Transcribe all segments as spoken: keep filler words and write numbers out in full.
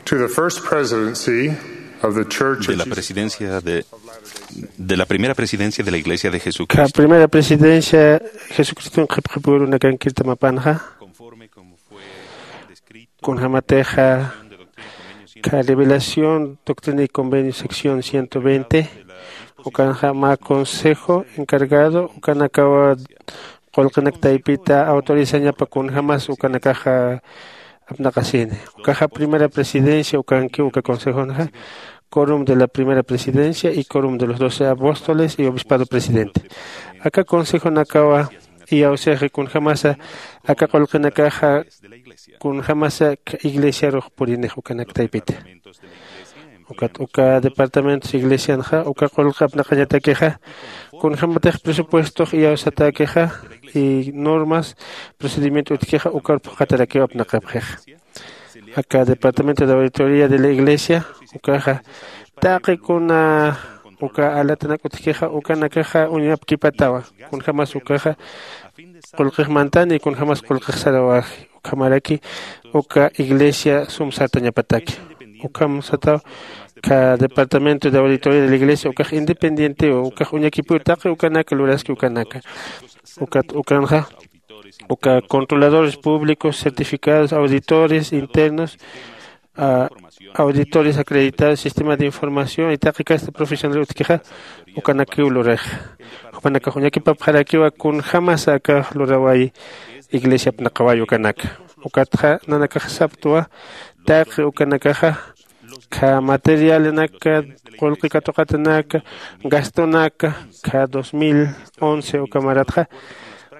To the first presidency of the Church de la presidencia de, de la primera presidencia de la Iglesia de Jesucristo. Primera presidencia Jesucristo qhipqhipuru nakan kirtamapanxa. Kunjamatexa ka revelación doctrina y convenio sección ciento veinte. Ukanxa ma consejo encargado ukanakawa qulqinak taypita autorizañapa kunjamas ukanakaxa apnaqasini. Ukaxa primera presidencia ukanki uka consejonxa, quorum de la primera presidencia y quorum de los doce apóstoles y obispado presidente. Aka consejonakawa iyawsixi kunjamasa aka qulqinakaxa kunjamasa iglesiarux purinix ukanak taypita. Ukat uka departamentos iglesianxa uka qulqi apnaqañatakixa kunjämatix presupuestox iyawsatäkixa y normas procedimiento utjkixa ukar phuqhatarakiw apnaqapxixa. Aka departamento de auditoría de la iglesia ukaxa taqi kuna uka alatanak utjkixa ukanakaxa uñapkipatawa kunjämas ukaxa qulqix mantani kunjämas qulqix sarawaxi. Ukhamaraki uka iglesia sum sartañapataki. Ukham sataw ka departamento de auditoría de la iglesia ukax independientewa ukax uñakipiw taqi ukanaka luraski ukanaka. Ukat ukanxa uka controladores públicos certificados auditores internos, auditores acreditados sistema de información y taqi kasta profesional utjkixa ukanakiw luraxa. Jupanakax uñakipapxarakiwa kunjämasa akax lurawayi iglesia apnaqawayi ukanaka. Ukatxa nanakax saptwa taqi ukanakaxa ka materialanaka qulqi katuqatanaka gastonaka ka dos mil once uka maratxa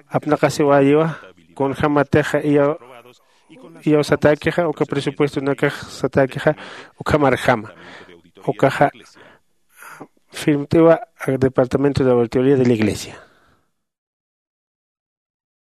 apnaqasiwayiwa kunjämatixa iyaw iyaw satäkixa uka presupuestonakax satäkixa ukhamarjama. Ukaxa firmt'iwa departamento de auditoría de la iglesia.